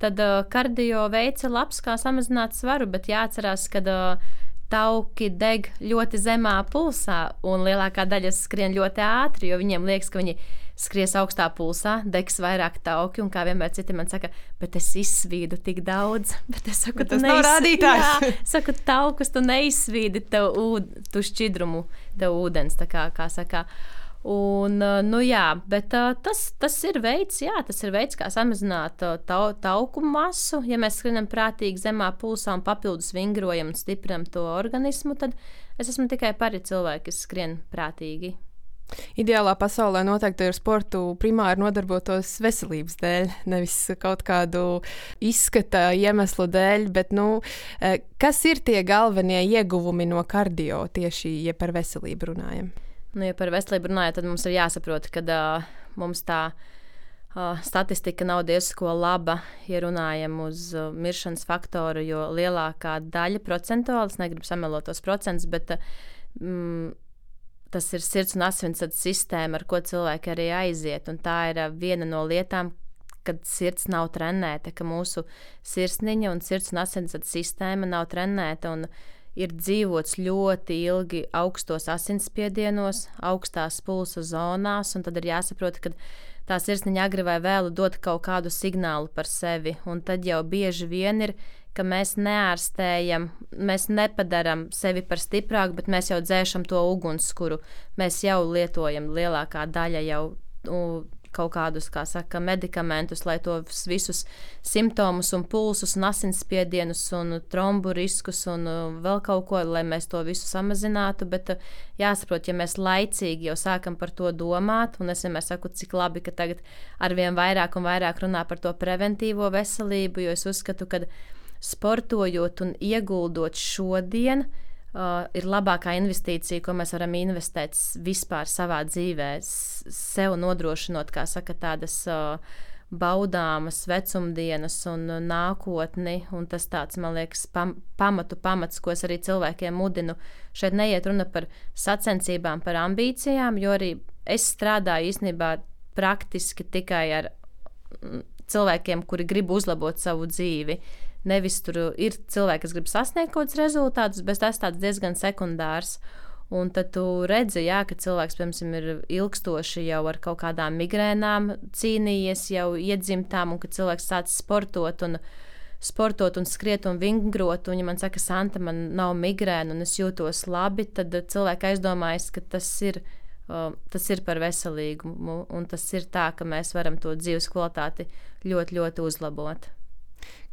tad kardio veids ir labs, kā samazināt svaru, bet jāatcerās, ka tauki deg ļoti zemā pulsā, un lielākā daļa skrien ļoti ātri, jo viņiem liekas, ka viņi skries augstā pulsā, degs vairāk tauki, un kā vienmēr citi man saka, bet es izsvīdu tik daudz. Bet es saku, tas nav rādītājs. Jā, saku, taukus tu neizsvīdi, tu šķidrumu, tev ūdens, tā kā saka. Un, bet tas ir veids, kā samazināt tauku masu. Ja mēs skrienam prātīgi zemā pulsā un papildus vingrojam un stiprinam to organismu, tad es esmu tikai par cilvēku, kas skrien prātīgi. Ideālā pasaulē noteikti ar sportu primāri nodarbotos veselības dēļ, nevis kaut kādu izskata iemeslu dēļ, bet, kas ir tie galvenie ieguvumi no kardio tieši, ja par veselību runājam? Ja par veselību runājam, tad mums ir jāsaprot, ka mums tā statistika nav diezko laba, ja runājam uz miršanas faktoru, jo lielākā daļa procentuāli, es negribu samelot tos procentus, bet tas ir sirds un asinsvadu sistēma, ar ko cilvēki arī aiziet. Un tā ir viena no lietām, kad sirds nav trenēta, ka mūsu sirsniņa un sirds un asinsvadu sistēma nav trenēta un ir dzīvots ļoti ilgi augstos asinsspiedienos, augstās pulsa zonās, un tad ir jāsaprot, ka tā sirsniņa agri vai vēlu dod kaut kādu signālu par sevi, un tad jau bieži vien ir, ka mēs neārstējam, mēs nepadarām sevi par stiprāku, bet mēs jau dzēšam to ugunskura. Mēs jau lietojam lielākā daļa jau kaut kādus, kā saka, medikamentus, lai tos visus simptomus un pulsus un asinsspiedienus un trombu riskus un vēl kaut ko, lai mēs to visu samazinātu, bet jāsaprot, ja mēs laicīgi jau sākam par to domāt, un es vienmēr saku, cik labi, ka tagad arvien vairāk un vairāk runā par to preventīvo veselību, jo es uzskatu, ka sportojot un ieguldot šodien, ir labākā investīcija, ko mēs varam investēt vispār savā dzīvē, sev nodrošinot, kā saka, tādas baudāmas vecumdienas un nākotni, un tas tāds, man liekas, pamats, ko es arī cilvēkiem mudinu. Šeit neiet runa par sacensībām, par ambīcijām, jo arī es strādāju īstenībā praktiski tikai ar cilvēkiem, kuri grib uzlabot savu dzīvi. Nevis tur ir cilvēki, kas grib sasniegt kaut kādus rezultātus, bet tas tāds diezgan sekundārs. Un tad tu redzi, ka cilvēks, piemēram, ir ilgstoši jau ar kaut kādām migrēnām cīnījies, jau iedzimtām, un kad cilvēks sāc sportot un skriet un vingrot, un ja man saka, Santa, man nav migrēna un es jūtos labi, tad cilvēki aizdomājas, ka tas ir par veselīgumu, un tas ir tā, ka mēs varam to dzīves kvalitāti ļoti, ļoti uzlabot.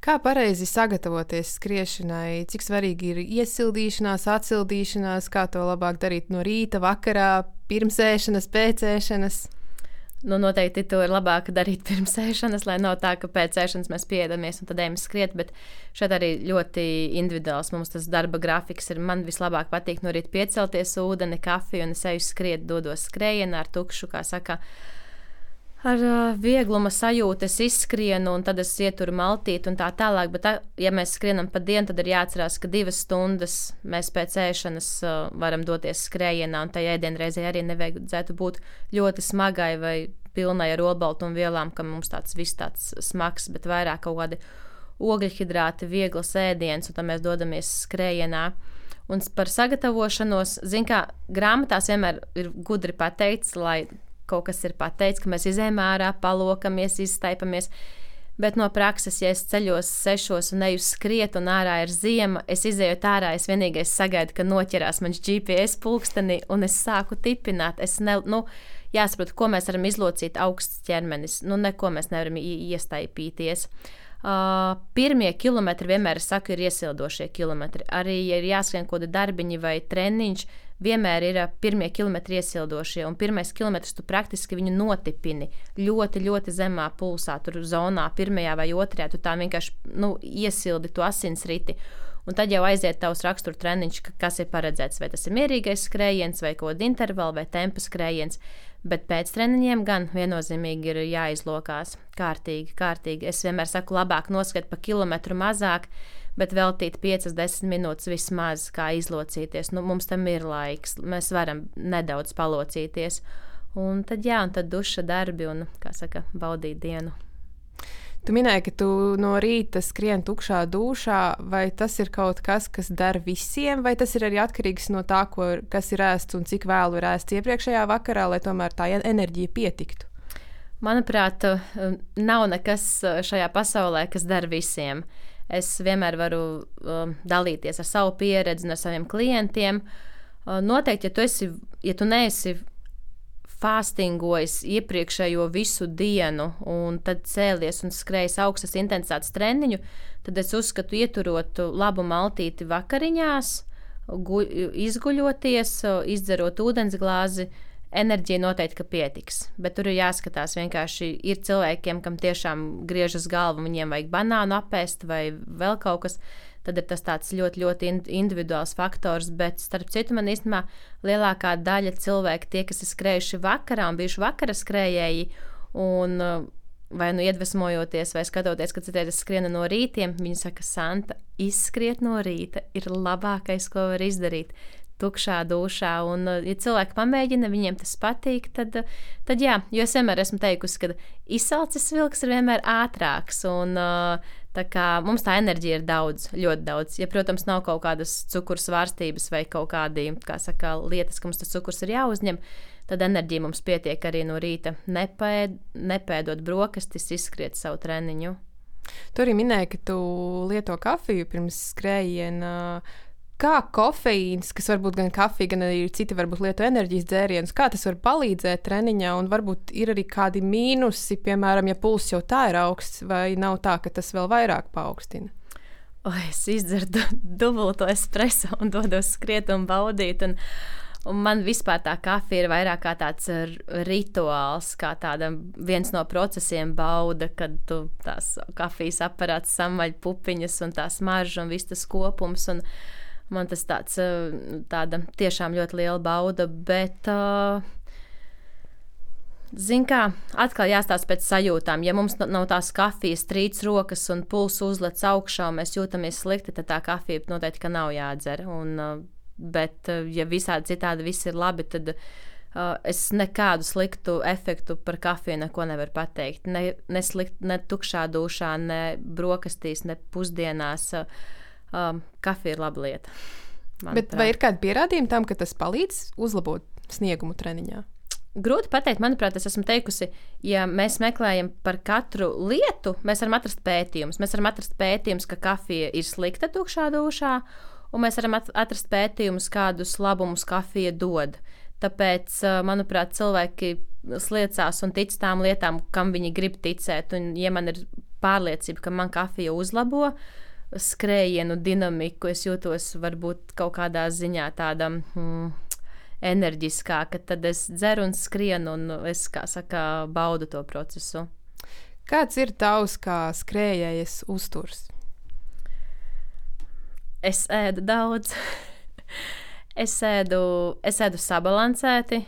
Kā pareizi sagatavoties skriešanai? Cik svarīgi ir iesildīšanās, atsildīšanās, kā to labāk darīt no rīta, vakarā, pirms ēšanas, pēc ēšanas? Noteikti to ir labāk darīt pirms ēšanas, lai nav tā, ka pēc ēšanas mēs pieedamies un tad ejam skriet, bet šeit arī ļoti individuāls mums tas darba grafiks ir. Man vislabāk patīk no rīta piecelties, ūdeni, kafiju un es eju skriet, dodos skrējienā ar tukšu, kā saka, ar viegluma sajūtu es izskrienu, un tad es ieturu maltīti un tā tālāk. Bet, ja mēs skrienam pa dienu, tad ir jāatcerās, ka 2 stundas mēs pēc ēšanas varam doties skrējienā, un tajā ēdienreizē arī nevajadzētu būt ļoti smagai vai pilnai ar olbaltumvielām, ka mums tāds viss tāds smags, bet vairāk kaut kādi ogļhidrāti, vieglas ēdienas, un tad mēs dodamies skrējienā. Un par sagatavošanos, kā grāmatās vienmēr ir gudri pateikts, lai kaut kas ir pateikts, ka mēs izējām ārā, palokamies, izstaipamies. Bet no prakses, ja es ceļos 6 un eju skriet un ārā ir ziema, es izēju ārā, es vienīgais sagaidu, ka noķerās mans GPS pulksteni un es sāku tipināt. Jāsaprot, ko mēs varam izlocīt augsts ķermenis. Neko mēs nevaram iestaipīties. Pirmie kilometri vienmēr, es saku, ir iesildošie kilometri. Arī, ja ir jāskrien kaut kādi darbiņi vai treniņš, vienmēr ir pirmie kilometri iesildošie, un pirmais kilometrs tu praktiski viņu notipini ļoti, ļoti zemā pulsā, tur zonā, pirmajā vai otrajā, tu tā vienkārši iesildi to asinsriti. Un tad jau aiziet tavs rakstura treniņš, kas ir paredzēts, vai tas ir mierīgais skrējiens, vai kaut kāda intervala, vai tempa skrējiens. Bet pēc treniņiem gan viennozīmīgi ir jāizlokās kārtīgi. Es vienmēr saku, labāk noskriet pa kilometru mazāk, bet veltīt 5-10 minūtes vismaz, kā izlocīties. Mums tam ir laiks, mēs varam nedaudz palocīties. Un tad duša darbi un, kā saka, baudīt dienu. Tu minēji, ka tu no rīta skrien tukšā dūšā, vai tas ir kaut kas, kas der visiem, vai tas ir arī atkarīgs no tā, kas ir ēsts un cik vēlu ir ēsts iepriekšējā vakarā, lai tomēr tā enerģija pietiktu? Manuprāt, nav nekas šajā pasaulē, kas der visiem. Es vienmēr varu dalīties ar savu pieredzi un ar saviem klientiem. Noteikti, ja tu neesi fāstingojas iepriekšējo visu dienu un tad cēlies un skrējas augstas intensitātes treniņu, tad es uzskatu, ieturot labu maltīti vakariņās, izguļoties, izdzerot ūdensglāzi, enerģija noteikti, ka pietiks. Bet tur ir jāskatās vienkārši, ir cilvēkiem, kam tiešām griežas galva, viņiem vajag banānu apēst vai vēl kaut kas, tad ir tas tāds ļoti, ļoti individuāls faktors, bet starp citu man īstenībā lielākā daļa cilvēki, tie, kas ir skrējuši vakarā un bijuši vakara skrējēji, un vai nu iedvesmojoties, vai skatoties, ka citreiz es skrienu no rītiem, viņi saka, Santa, izskriet no rīta ir labākais, ko var izdarīt. Tukšā dušā, un ja cilvēki pamēģina, viņiem tas patīk, tad jā, jo es vienmēr esmu teikusi, ka izsalcis vilks ir vienmēr ātrāks, un tā kā mums tā enerģija ir daudz, ļoti daudz. Ja, protams, nav kaut kādas cukuru svārstības vai kaut kādi, kā saka, lietas, ka mums tas cukurs ir jāuzņem, tad enerģija mums pietiek arī no rīta nepēdot brokastis, izskriet savu treniņu. Tu arī minēji, ka tu lieto kafiju pirms skrējiena. Kā kofeīns, kas varbūt gan kafija, gan arī citi varbūt lieto enerģijas dzērienus, kā tas var palīdzēt treniņā, un varbūt ir arī kādi mīnusi, piemēram, ja pulss jau tā ir augsts, vai nav tā, ka tas vēl vairāk paaugstina? Es izdzeru dubulto espreso un dodos skriet un baudīt, un man vispār tā kafija ir vairāk kā tāds rituāls, kā tāda viens no procesiem bauda, kad tu tās kafijas aparāts samaļ pupiņas un tā smarža un viss tas kopums, un man tas tāda tiešām ļoti liela bauda, bet, zin kā, atkal jāstāsta pēc sajūtām. Ja mums nav tās kafijas trīc rokas un pulss uzlec augšā un mēs jūtamies slikti, tad tā kafija noteikti, ka nav jādzer. Bet, ja visādi citādi viss ir labi, tad es nekādu sliktu efektu par kafiju neko nevaru pateikt. Ne tukšā dušā, ne brokastīs, ne pusdienās. Kafija ir laba lieta. Bet vai ir kādi pierādījumi tam, ka tas palīdz uzlabot sniegumu treniņā? Grūti pateikt, manuprāt, es esmu teikusi, ja mēs meklējam par katru lietu, mēs varam atrast pētījumus. Mēs varam atrast pētījumus, ka kafija ir slikta tukšā dušā, un mēs varam atrast pētījumus, kādus labumus kafija dod. Tāpēc, manuprāt, cilvēki sliecās un tic tām lietām, kam viņi grib ticēt. Un, ja man ir pārliecība, ka man kafija uzlabo skrējienu dinamiku, es jūtos varbūt kaut kādā ziņā tāda enerģiskāka, tad es dzeru un skrienu, un es, kā saka, baudu to procesu. Kāds ir tavs kā skrējējas uzturs? Es ēdu daudz. Es ēdu sabalansēti.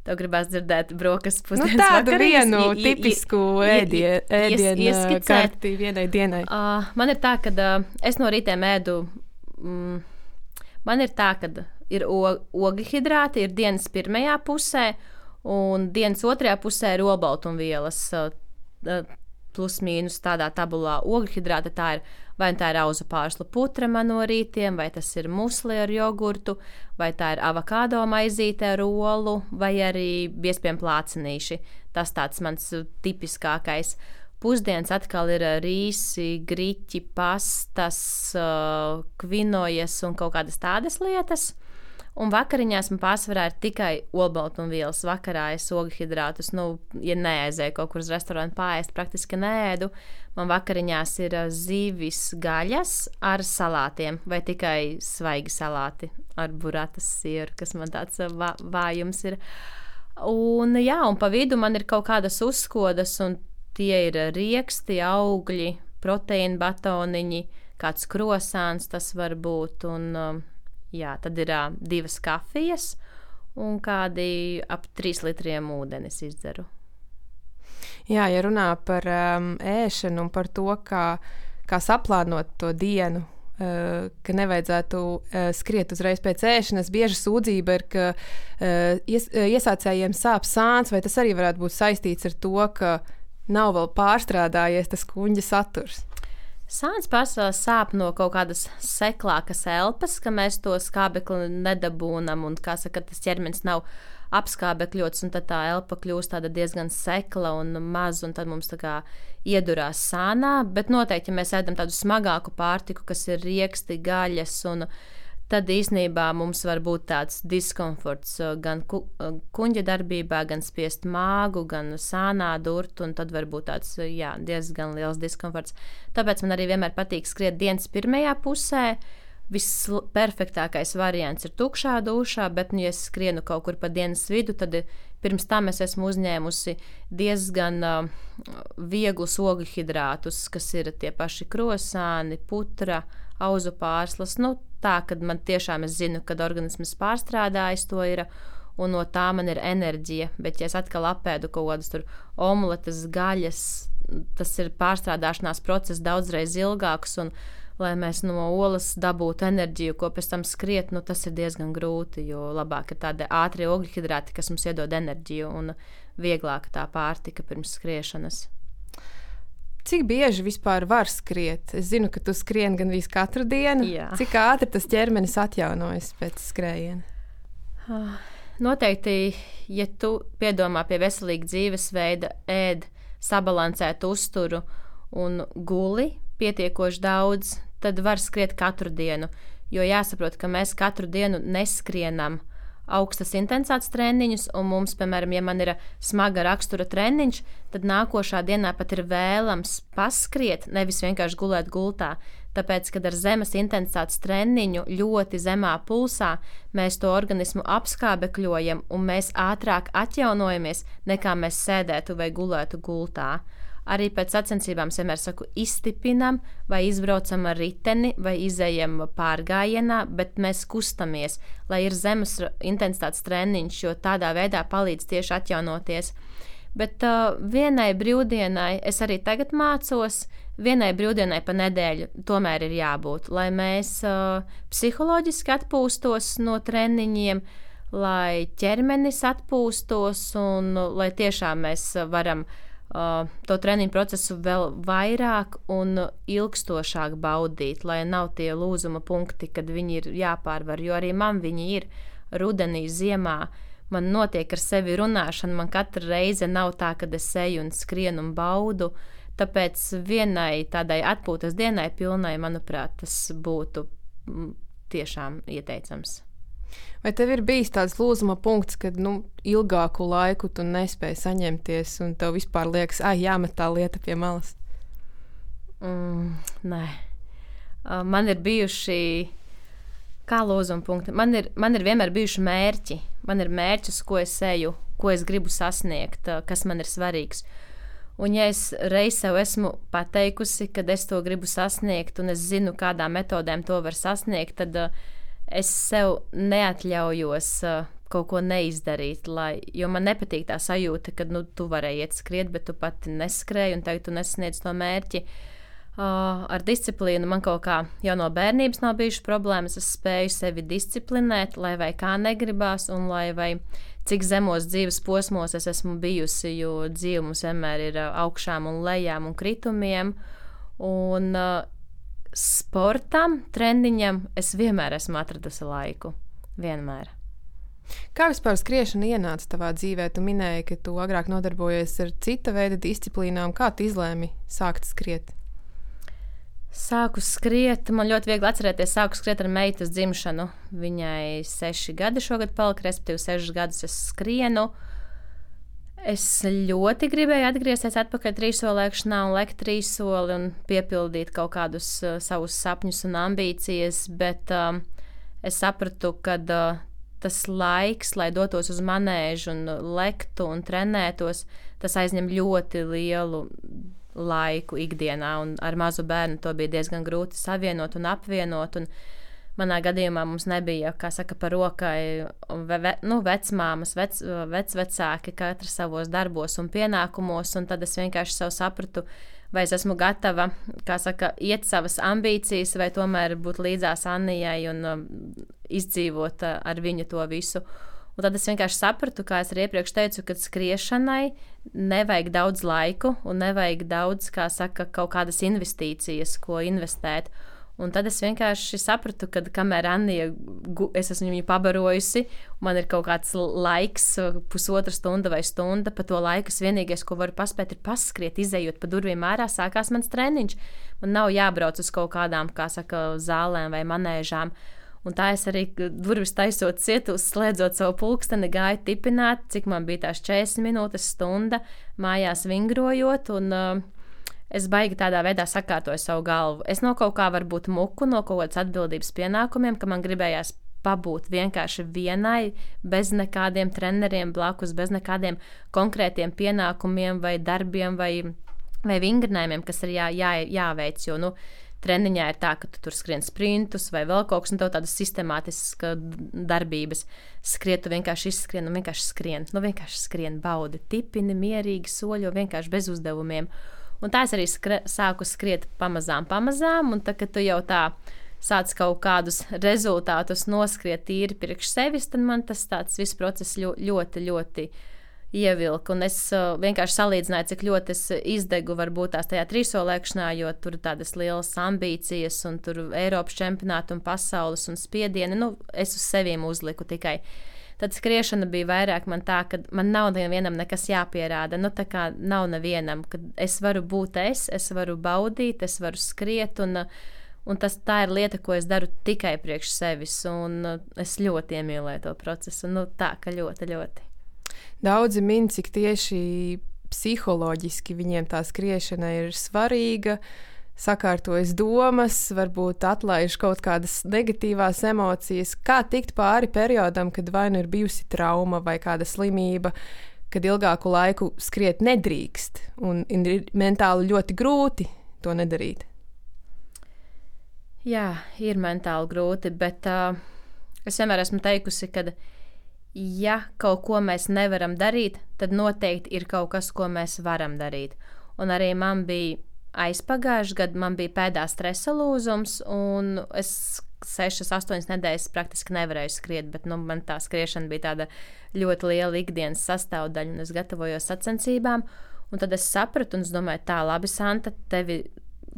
Tev gribās dzirdēt brokastis pusdienas tādu vakarīs? Vienu tipisku ēdienu karti vienai dienai. Man ir tā, ka es no rītiem ēdu, man ir tā, ka ir ogļhidrāti, ir dienas pirmajā pusē, un dienas otrajā pusē ir olbaltumvielas, plus mīnus tādā tabulā. Ogļhidrāti tā ir, vai tā ir auza pārsla putra man no rītiem, vai tas ir musli ar jogurtu, vai tā ir avokādo maizīte ar olu, vai arī biezpiem plācenīši. Tas tāds mans tipiskākais. Pusdienas atkal ir rīsi, griķi, pastas, kvinojas un kaut kādas tādas lietas. Un vakariņās man pārsvarā ir tikai olbaltumvielas. Vakarā es ogļhidrātus, ja neaizēju kaut kur uz restorānu pāriest, praktiski neēdu. Man vakariņās ir zivis gaļas ar salātiem, vai tikai svaigi salāti ar buratas sieru, kas man tāds vājums ir. Un pa vidu man ir kaut kādas uzskodas, un tie ir rieksti, augļi, proteīna batoniņi, kāds krosāns tas var būt, un tad ir 2 kafijas un kādi ap 3 litriem ūdenis izdzeru. Jā, ja runā par ēšanu un par to, kā saplānot to dienu, ka nevajadzētu skriet uzreiz pēc ēšanas, bieži sūdzība ir, ka iesācējiem sāp sāns, vai tas arī varētu būt saistīts ar to, ka nav vēl pārstrādājies tas kuņģa saturs? Sāns pārsvarā sāp no kaut kādas seklākas elpas, ka mēs to skābekli nedabūnam, un, kā saka, tas ķermenis nav apskābekļots, un tad tā elpa kļūst tāda diezgan sekla un maz, un tad mums tā kā iedurās sānā, bet noteikti, ja mēs ēdam tādu smagāku pārtiku, kas ir rieksti, gaļas un tad īsnībā mums var būt tāds diskomforts gan kuņģa darbībā, gan spiest māgu, gan sānā durt, un tad var būt tāds diezgan liels diskomforts. Tāpēc man arī vienmēr patīk skriet dienas pirmajā pusē. Visperfektākais variants ir tukšā dušā, bet, ja es skrienu kaut kur pa dienas vidu, tad pirms tam es esmu uzņēmusi diezgan vieglus ogļu hidrātus, kas ir tie paši krosāni, putra, auzu pārslas. Tā, kad man tiešām es zinu, kad organisms pārstrādājis to ir, un no tā man ir enerģija. Bet, ja es atkal apēdu kaut kādas tur omletes, gaļas, tas ir pārstrādāšanās process daudzreiz ilgāks, un lai mēs no olas dabūtu enerģiju, ko pēc tam skriet, tas ir diezgan grūti, jo labāk ir tādi ātrie ogļhidrāti, kas mums iedod enerģiju, un vieglāka tā pārtika pirms skriešanas. Cik bieži vispār var skriet? Es zinu, ka tu skrieni gandrīz katru dienu. Jā. Cik ātri tas ķermenis atjaunojas pēc skrējiena? Noteikti, ja tu piedomā pie veselīga dzīvesveida, ēd sabalansētu uzturu un guli pietiekoši daudz, tad var skriet katru dienu. Jo jāsaprot, ka mēs katru dienu neskrienam augstas intensitātes treniņus, un mums, piemēram, ja man ir smaga rakstura treniņš, tad nākošā dienā pat ir vēlams paskriet, nevis vienkārši gulēt gultā. Tāpēc, kad ar zemes intensitātes treniņu ļoti zemā pulsā mēs to organismu apskābekļojam, un mēs ātrāk atjaunojamies, nekā mēs sēdētu vai gulētu gultā. Arī pēc sacensībām es vienmēr saku, izstipinam vai izbraucam ar riteni vai izejam pārgājienā, bet mēs kustamies, lai ir zemes intensitātes treniņš, jo tādā veidā palīdz tieši atjaunoties. Bet vienai brīvdienai, es arī tagad mācos, vienai brīvdienai pa nedēļu tomēr ir jābūt, lai mēs psiholoģiski atpūstos no treniņiem, lai ķermenis atpūstos un lai tiešām mēs varam to treniņu procesu vēl vairāk un ilgstošāk baudīt, lai nav tie lūzuma punkti, kad viņi ir jāpārvar, jo arī man viņi ir rudenī, ziemā. Man notiek ar sevi runāšana, man katra reize nav tā, kad es eju un skrienu un baudu, tāpēc vienai tādai atpūtas dienai pilnai, manuprāt, tas būtu tiešām ieteicams. Vai tev ir bijis tāds lūzuma punkts, kad ilgāku laiku tu nespēji saņemties un tev vispār liekas, jāmet tā lieta pie malas? Nē. Man ir bijuši, kā lūzuma punkti, man ir vienmēr bijuši mērķi. Man ir mērķis, ko es eju, ko es gribu sasniegt, kas man ir svarīgs. Un ja es reiz sev esmu pateikusi, kad es to gribu sasniegt un es zinu, kādām metodēm to var sasniegt, tad es sev neatļaujos kaut ko neizdarīt, jo man nepatīk tā sajūta, ka tu varēji iet skriet, bet tu pati neskrēji un tagad tu nesasniedz to mērķi. Ar disciplīnu man kaut kā jau no bērnības nav bijušas problēmas, es spēju sevi disciplinēt, lai vai kā negribās un lai vai cik zemos dzīves posmos es esmu bijusi, jo dzīve mums vienmēr ir augšām un lejām un kritumiem. Un sportam, treniņam es vienmēr esmu atradusi laiku. Vienmēr. Kā vispār skriešana ienāca tavā dzīvē? Tu minēji, ka tu agrāk nodarbojies ar cita veida disciplīnām. Kā tu izlēmi sākt skriet? Sāku skriet, man ļoti viegli atcerēties, sāku skriet ar meitas dzimšanu. Viņai 6 gadi šogad palika, respektīvi 6 gadus es skrienu. Es ļoti gribēju atgriezties atpakaļ trīssolēkšanā un lekt trīssoli un piepildīt kaut kādus savus sapņus un ambīcijas, bet es sapratu, ka tas laiks, lai dotos uz manēžu un lektu un trenētos, tas aizņem ļoti lielu laiku ikdienā, un ar mazu bērnu to bija diezgan grūti savienot un apvienot, un manā gadījumā mums nebija, kā saka, par rokai vecmāmas, vecvecāki, katrs savos darbos un pienākumos, un tad es vienkārši sev sapratu, vai es esmu gatava, kā saka, iet savas ambīcijas, vai tomēr būt līdzās Annijai un izdzīvot ar viņu to visu. Un tad es vienkārši sapratu, kā es arī iepriekš teicu, ka skriešanai nevajag daudz laiku un nevajag daudz, kā saka, kaut kādas investīcijas, ko investēt. Un tad es vienkārši sapratu, ka kamēr Annija, es esmu viņu pabarojusi, man ir kaut kāds laiks, pusotra stunda vai stunda, pa to laiku vienīgais, ko varu paspēt, ir paskriet, izejot pa durvīm ārā, sākās mans treniņš. Man nav jābrauc uz kaut kādām, kā saka, zālēm vai manēžām. Un tā es arī durvis taisot ciet, slēdzot savu pulksteni, gāju tipināt, cik man bija tās 40 minūtes, stunda, mājās vingrojot, un es baigi tādā veidā sakārtoju savu galvu. Es no kaut kā varbūt muku, no kaut kādas atbildības pienākumiem, ka man gribējās pabūt vienkārši vienai, bez nekādiem treneriem blakus, bez nekādiem konkrētiem pienākumiem vai darbiem vai vingrinājumiem, kas ir jāveic, jo, treniņā ir tā, ka tu tur skrien sprintus vai vēl kaut kas, un tev tādas sistemātiskas darbības. Skriet, tu vienkārši izskrien un vienkārši skrien, baudi, tipini, mierīgi, soļo, vienkārši bez uzdevumiem. Un tā es arī sāku skriet pamazām, un tad, kad tu jau tā sāc kaut kādus rezultātus noskriet tīri priekš sevis, tad man tas tāds viss process ļoti, ļoti ievilka, un es vienkārši salīdzināju, cik ļoti es izdegu varbūt tās tajā trīsolēkšanā, jo tur ir tādas lielas ambīcijas, un tur Eiropas čempionāti un pasaules un spiedieni, es uz sevīm uzliku tikai. Tad skriešana bija vairāk man tā, ka man nav nevienam nekas jāpierāda, tā kā nav nevienam, kad es varu būt es varu baudīt, es varu skriet, un tā ir lieta, ko es daru tikai priekš sevis, un es ļoti iemīlēju to procesu, tā, ka ļoti, ļoti. Daudzi min, cik tieši psiholoģiski viņiem tā skriešana ir svarīga, sakārtojas domas, varbūt atlaiž kaut kādas negatīvās emocijas. Kā tikt pāri periodam, kad vai nu ir bijusi trauma vai kāda slimība, kad ilgāku laiku skriet nedrīkst un ir mentāli ļoti grūti to nedarīt? Jā, ir mentāli grūti, bet es vienmēr esmu teikusi, ka ja kaut ko mēs nevaram darīt, tad noteikti ir kaut kas, ko mēs varam darīt. Un arī man bija aizpagājuši gadu, man bija pēdās stresa lūzums, un es 6-8 nedēļas praktiski nevarēju skriet, bet man tā skriešana bija tāda ļoti liela ikdienas sastāvdaļa, un es gatavojos sacensībām, un tad es sapratu, un es domāju, tā labi, Santa, tevi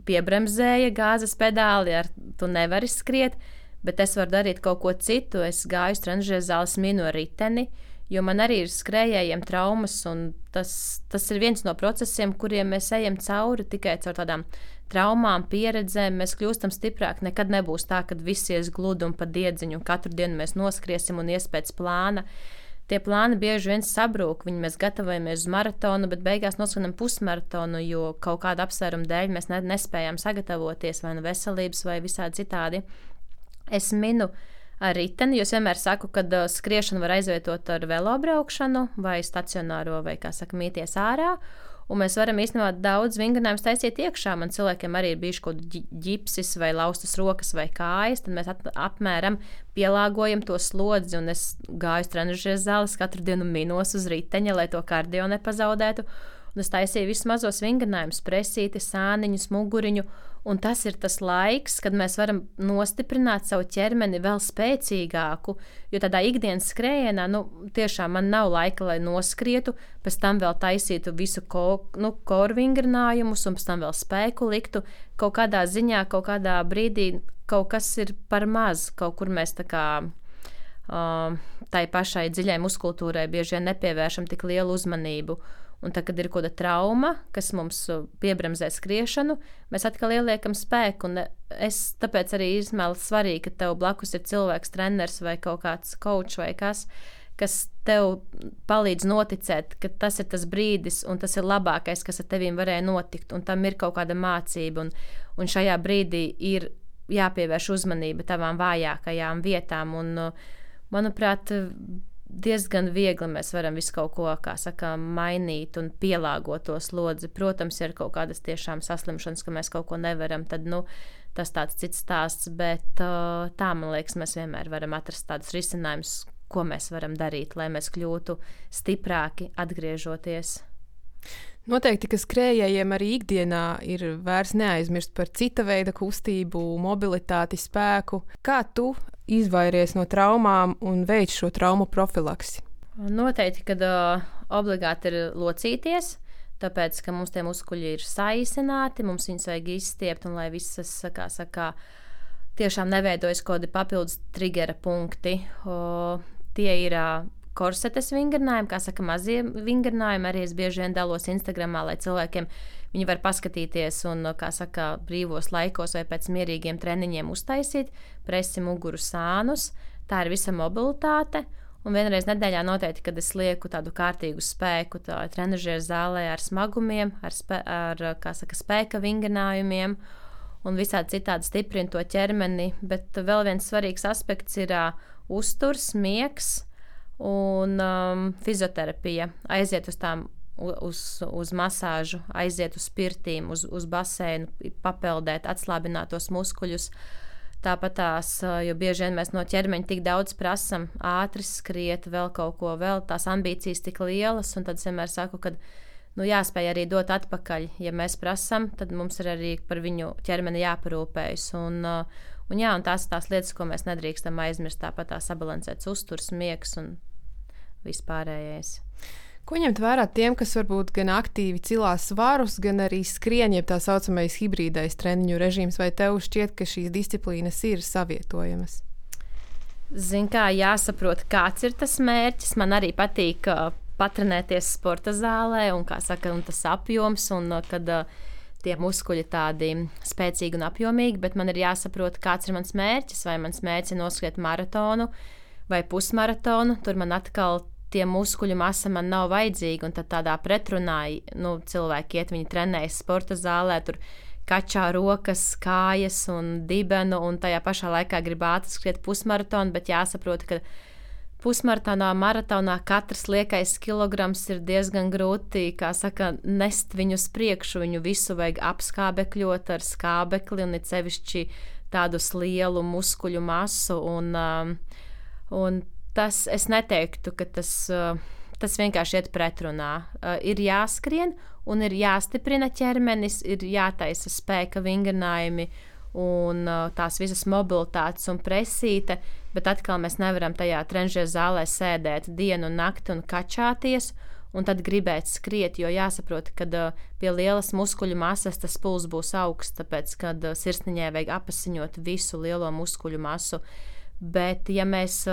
piebremzēja gāzes pedāli, tu nevari skriet, bet es varu darīt kaut ko citu. Es gāju uz trenižera zāles, minu riteni, jo man arī ir skrējējiem traumas, un tas ir viens no procesiem, kuriem mēs ejam cauri tikai caur tādām traumām, pieredzēm. Mēs kļūstam stiprāki. Nekad nebūs tā, ka viss ies gludi un pa diedziņu, un katru dienu mēs noskriesim un ies pēc plāna. Tie plāni bieži vien sabrūk, mēs gatavojamies uz maratonu, bet beigās noskrienam pusmaratonu, jo kaut kāda apsvēruma dēļ mēs nespējām sagatavoties, vai veselības, vai visādi citādi. Es minu ar riteni, jo es vienmēr saku, ka skriešanu var aizvietot ar velobraukšanu vai stacionāro, vai, kā saka, mīties ārā. Un mēs varam īstenībā daudz vingrinājumus taisīt iekšā. Man cilvēkiem arī ir bijuši kaut ģipsis vai laustas rokas vai kājas, tad mēs apmēram pielāgojam to slodzi, un es gāju uz trenižera zāles, katru dienu minos uz riteņa, lai to kardio nepazaudētu. Un es taisīju visus mazos vingrinājumus, presīti, sāniņus, muguriņu, un tas ir tas laiks, kad mēs varam nostiprināt savu ķermeni vēl spēcīgāku, jo tādā ikdienas skrējienā, tiešām man nav laika, lai noskrietu, pēc tam vēl taisītu visu koru vingrinājumus, un pēc tam vēl spēku liktu. Kaut kādā ziņā, kaut kādā brīdī kaut kas ir par maz, kaut kur mēs tā kā tai pašai dziļai muskultūrai bieži vien nepievēršam tik lielu uzmanību. Un tad, kad ir kaut kāda trauma, kas mums piebremzē skriešanu, mēs atkal ieliekam spēku. Un tāpēc arī izmēli svarīgi, ka tev blakus ir cilvēks, treneris vai kaut kāds coach vai kas tev palīdz noticēt, ka tas ir tas brīdis un tas ir labākais, kas ar tevīm varēja notikt. Un tam ir kaut kāda mācība. Un šajā brīdī ir jāpievērš uzmanība tavām vājākajām vietām. Un, manuprāt, diezgan viegli mēs varam visu kaut ko, kā saka, mainīt un pielāgot to slodzi. Protams, ir kaut kādas tiešām saslimšanas, ka mēs kaut ko nevaram, tad, tas tāds cits stāsts, bet tā, man liekas, mēs vienmēr varam atrast tādus risinājumus, ko mēs varam darīt, lai mēs kļūtu stiprāki atgriežoties. Noteikti, ka skrējējiem arī ikdienā ir vērts neaizmirst par cita veida kustību, mobilitāti, spēku. Kā tu izvairies no traumām un veic šo traumu profilaksi? Noteikti, kad obligāti ir locīties, tāpēc, ka mums tie muskuļi ir saīsināti, mums viņus vajag izstiept, un lai visas, kā saka, tiešām neveidojas kaut kādi papildus triggera punkti. Tie ir korsetes vingrinājumi, kā saka, mazie vingrinājumi. Arī es bieži vien dalos Instagramā, lai cilvēkiem viņi var paskatīties un, kā saka, brīvos laikos vai pēc mierīgiem treniņiem uztaisīt presi, muguru, sānus. Tā ir visa mobilitāte. Un vienreiz nedēļā noteikti, kad es lieku tādu kārtīgu spēku trenažieru zālē ar smagumiem, ar kā saka, spēka vingrinājumiem un visādi citādi stiprina to ķermeni. Bet vēl viens svarīgs aspekts ir uzturs, miegs un fizioterapija. Aiziet uz masāžu, aiziet uz pirtīm, uz baseinu, papeldēt, atslābināt tos muskuļus. Tāpat jo bieži vien mēs no ķermeņa tik daudz prasam, ātri skriet, vēl kaut ko, vēl tās ambīcijas tik lielas, un tad es vienmēr saku, ka jāspēj arī dot atpakaļ. Ja mēs prasam, tad mums ir arī par viņu ķermeni jāparūpējas. Un tās ir tās lietas, ko mēs nedrīkstam aizmirst, tāpat sabalansēts uzturs, miegs un vispārējais. Ko ņemt vērā tiem, kas varbūt gan aktīvi cilās svarus, gan arī skrien, jeb tā saucamais hibrīdais treniņu režīms, vai tev šķiet, ka šīs disciplīnas ir savietojamas? Zin kā, jāsaprot, kāds ir tas mērķis. Man arī patīk patrenēties sporta zālē un, kā saka, un tas apjoms, un kad tie muskuļi tādi spēcīgi un apjomīgi, bet man ir jāsaprot, kāds ir mans mērķis, vai mans mērķis ir noskriet maratonu vai pusmaratonu. Tur man atkal tie muskuļu masa man nav vajadzīga, un tad tādā pretrunā cilvēki iet, viņi trenējas sporta zālē, tur kačā rokas, kājas un dibenu, un tajā pašā laikā grib ātri skriet pusmaratonu, bet jāsaprot, ka pusmaratonā, maratonā katrs liekais kilograms ir diezgan grūti, kā saka, nest viņu uz priekšu, viņu visu vajag apskābekļot ar skābekli, un it sevišķi tādus lielu muskuļu masu, un tas, es neteiktu, ka tas vienkārši iet pretrunā. Ir jāskrien un ir jāstiprina ķermenis, ir jātaisa spēka vingrinājumi un tās visas mobilitātes un presīte, bet atkal mēs nevaram tajā trenižera zālē sēdēt dienu un nakti un kačāties un tad gribēt skriet, jo jāsaprot, ka pie lielas muskuļu masas tas puls būs augsts, tāpēc, kad sirsniņai vajag apasiņot visu lielo muskuļu masu. Bet, ja mēs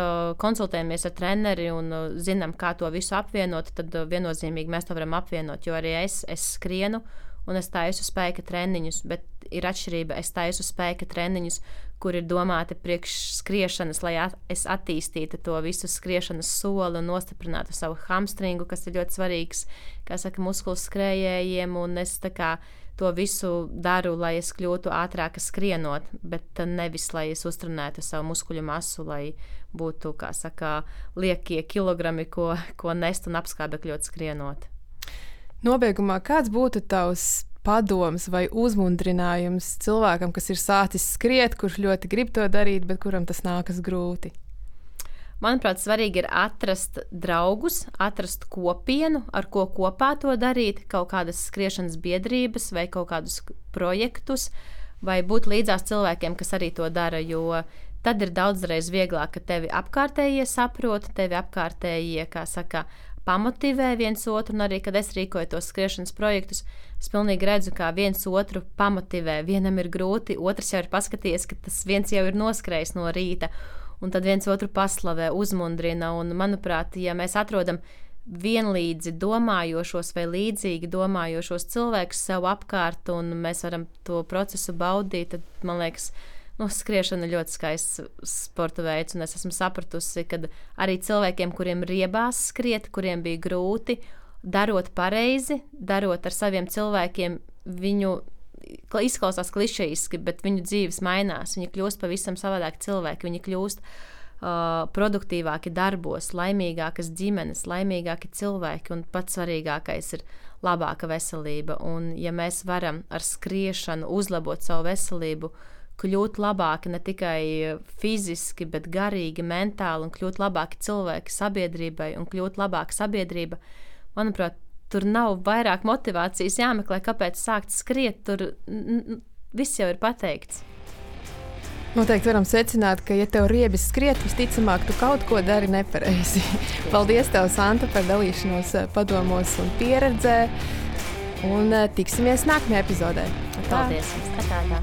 konsultējamies ar treneri un zinām, kā to visu apvienot, tad viennozīmīgi mēs to varam apvienot, jo arī es skrienu un es taisu spēka treniņus, bet ir atšķirība, es taisu spēka treniņus, kur ir domāti priekš skriešanas, lai es attīstītu to visu skriešanas soli un nostiprinātu savu hamstringu, kas ir ļoti svarīgs, kā saka, muskulu skrējējiem, un es tā kā to visu daru, lai es kļūtu ātrāka skrienot, bet nevis, lai es uztrenētu savu muskuļu masu, lai būtu, kā saka, liekie kilogrami, ko nest un apskābekļot skrienot. Nobeigumā, kāds būtu tavs padoms vai uzmundrinājums cilvēkam, kas ir sācis skriet, kurš ļoti grib to darīt, bet kuram tas nākas grūti? Manuprāt, svarīgi ir atrast draugus, atrast kopienu, ar ko kopā to darīt, kaut kādas skriešanas biedrības vai kaut kādus projektus, vai būt līdzās cilvēkiem, kas arī to dara, jo tad ir daudzreiz vieglāk, ka tevi apkārtējie saprot, tevi apkārtējie, kā saka, pamotivē viens otru, un arī, kad es rīkoju tos skriešanas projektus, es pilnīgi redzu, kā viens otru pamotivē. Vienam ir grūti, otrs jau ir paskatījies, ka tas viens jau ir noskrējis no rīta, un tad viens otru paslavē, uzmundrina, un, manuprāt, ja mēs atrodam vienlīdzi domājošos vai līdzīgi domājošos cilvēkus sev apkārt, un mēs varam to procesu baudīt, tad, man liekas, skriešana ir ļoti skaists sporta veids, un es esmu sapratusi, ka arī cilvēkiem, kuriem riebās skriet, kuriem bija grūti, darot pareizi, darot ar saviem cilvēkiem, viņu izklausās klišejiski, bet viņu dzīves mainās, viņi kļūst pavisam savādāki cilvēki, viņi kļūst produktīvāki darbos, laimīgākas ģimenes, laimīgāki cilvēki, un pats svarīgākais ir labāka veselība, un ja mēs varam ar skriešanu uzlabot savu veselību, kļūt labāki ne tikai fiziski, bet garīgi, mentāli, un kļūt labāki cilvēki sabiedrībai, un kļūt labāka sabiedrība, manuprāt, tur nav vairāk motivācijas jāmeklē, kāpēc sākt skriet, tur viss jau ir pateikts. Noteikti varam secināt, ka, ja tev riebis skriet, visticamāk, tu kaut ko dari nepareizi. Paldies tev, Santa, par dalīšanos padomos un pieredzē, un tiksimies nākamajā epizodē. Paldies! Tā.